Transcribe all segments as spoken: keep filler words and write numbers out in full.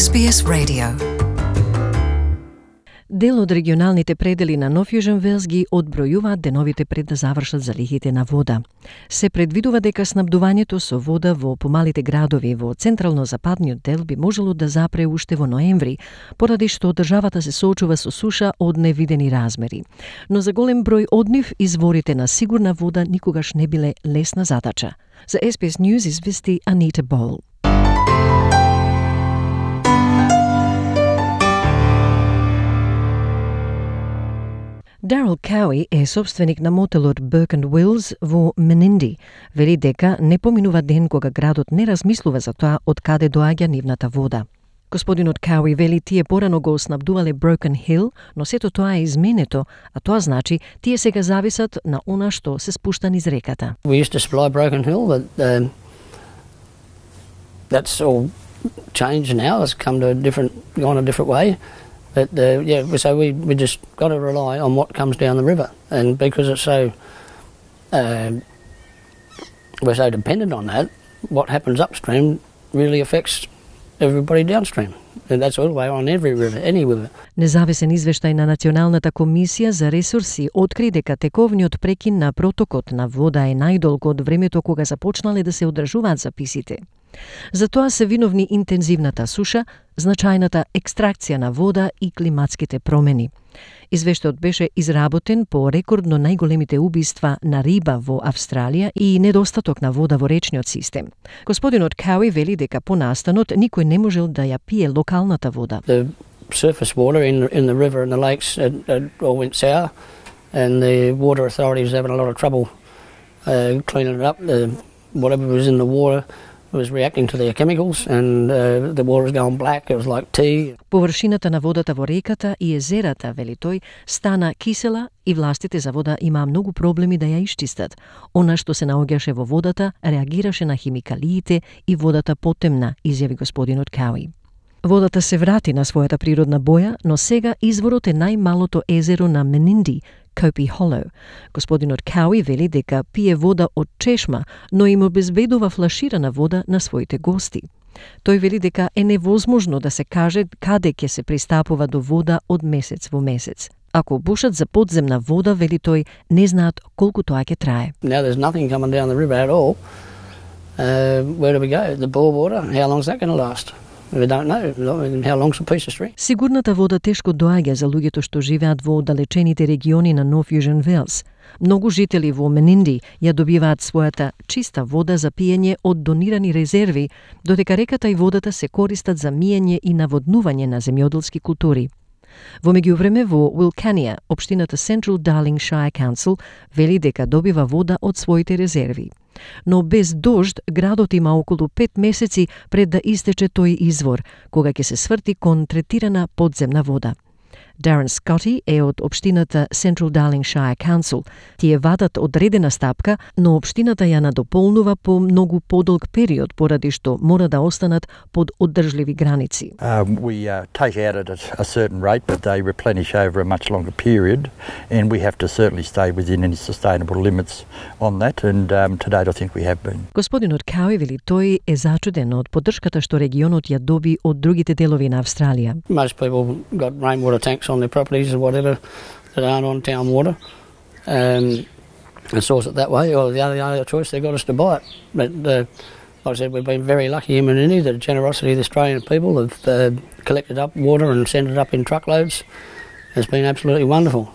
Ес Би Ес Radio. Дел од регионалните предели на Нов Јужен Велс ги одбројуваат деновите пред да завршат залихите на вода. Се предвидува дека снабдувањето со вода во помалите градови во централно-западниот дел би можело да запре уште во ноември, поради што државата се соочува со суша од невидени размери. Но за голем број од нив изворите на сигурна вода никогаш не биле лесна задача. За Ес Би Ес News извести Анита Бол. Darryl Cowie е собственик на мотелот Burke and Wills во Menindee. Вели дека не поминува ден кога градот не размислува за тоа од каде доаѓа нивната вода. Господинот Cowie вели тие порано го снабдувале Broken Hill, но сето тоа е изменето, а тоа значи тие сега зависат на она што се спушта низ реката. We used to supply Broken Hill, but um, that's all changed now. It's come to a different, gone a different way. But uh, yeah, so we, we just got to rely on what comes down the river, and because it's so uh, we're so dependent on that, what happens upstream really affects everybody downstream, and that's all the way on every river, any river. Независен извештај на Националната комисија за ресурси откри дека тековниот прекин на протокот на вода е најдолг од времето кога започнале да се одржуваат записите. За тоа се виновни интензивната суша, значајната екстракција на вода и климатските промени. Извештајот беше изработен по рекордно најголемите убиства на риба во Австралија и недостаток на вода во речниот систем. Господинот Cowie вели дека по настанот никој не можел да ја пие локалната вода. The surface water in in the river and the lakes uh, uh, all went sour, and the water authorities having a lot of trouble uh, cleaning it up. The, whatever was in the water was reacting to the chemicals, and uh, the water was going black. It was like tea. Површината на водата во реката и езерата, вели тој, стана кисела и властите за вода имаа многу проблеми да ја исчистат. Она што се наоѓаше во водата реагираше на химикалиите и водата потемна, изјави господинот Cowie. Водата се врати на својата природна боја, но сега изворот е најмалото езеро на Menindee, Kopi Hollow. Господинот Cowie вели дека пие вода од чешма, но им обезбедува флаширана вода на своите гости. Тој вели дека е невозможно да се каже каде ќе се пристапува до вода од месец во месец. Ако бушат за подземна вода, вели тој, не знаат колку тоа ќе трае. Now there's nothing coming down the river at all. Uh, where do we go? The bore water, how long is that going to last? We don't know. How long's a piece of string? Сигурната вода тешко доаѓа за луѓето што живеат во оддалечените региони на Нов Јужен Велс. Многу жители во Menindee ја добиваат својата чиста вода за пиење од донирани резерви, додека реката и водата се користат за миење и наводнување на земјоделски култури. Во меѓувреме во Wilcannia, општината Central Darling Shire Council вели дека добива вода од своите резерви. Но без дожд, градот има околу пет месеци пред да истече тој извор, кога ќе се сврти кон третирана подземна вода. Darren Scotty е од општината Central Darling Shire Council. Тие вадат одредена стапка, но општината ја надополнува по многу подолг период, поради што мора да останат под оддржливи граници. Uh, we uh, take out at a, a certain rate, but they replenish over a much longer period, and we have to certainly stay within any sustainable limits on that, and um, to date I think we have been. Господинот Cowie вели тој е зачуден од поддршката што регионот ја доби од другите делови на Австралија. Most people got rainwater tanks on their properties or whatever that aren't on town water, um, and source it that way, or the other, the other choice, they got us to buy it. But uh, like I said, we've been very lucky in Menindee. The generosity of the Australian people have uh, collected up water and sent it up in truckloads. It's been absolutely wonderful.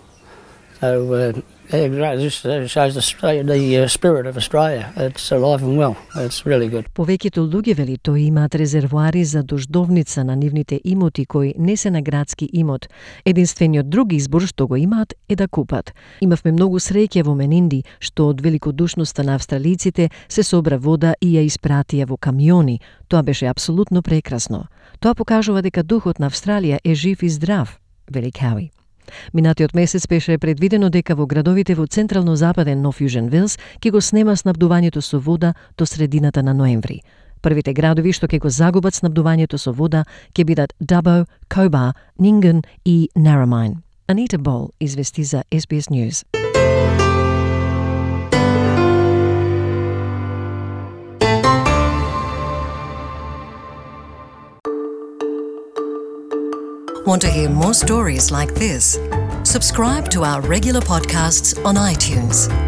So uh, yeah, great. This shows the, the spirit of Australia. It's alive and well. It's really good. Повеќето луѓе, вели тој, имаат резервоари за дождовница на нивните имоти кои не се на градски имот. Единствениот друг избор што го имаат е да купат. Имавме многу среќа во Menindee, што од великодушноста на австралиците се собра вода и ја испратија во камиони. Тоа беше апсолутно прекрасно. Тоа покажува дека духот на Австралија е жив и здрав, вели Cowie. Минатиот месец беше предвидено дека во градовите во централно-западен Нов Јужен Велс ќе го снема снабдувањето со вода до средината на ноември. Првите градови што ќе го загубат снабдувањето со вода ќе бидат Dubbo, Cobar, Nyngan и Narromine. Анита Бол извести за Ес Би Ес News. Want to hear more stories like this? Subscribe to our regular podcasts on iTunes.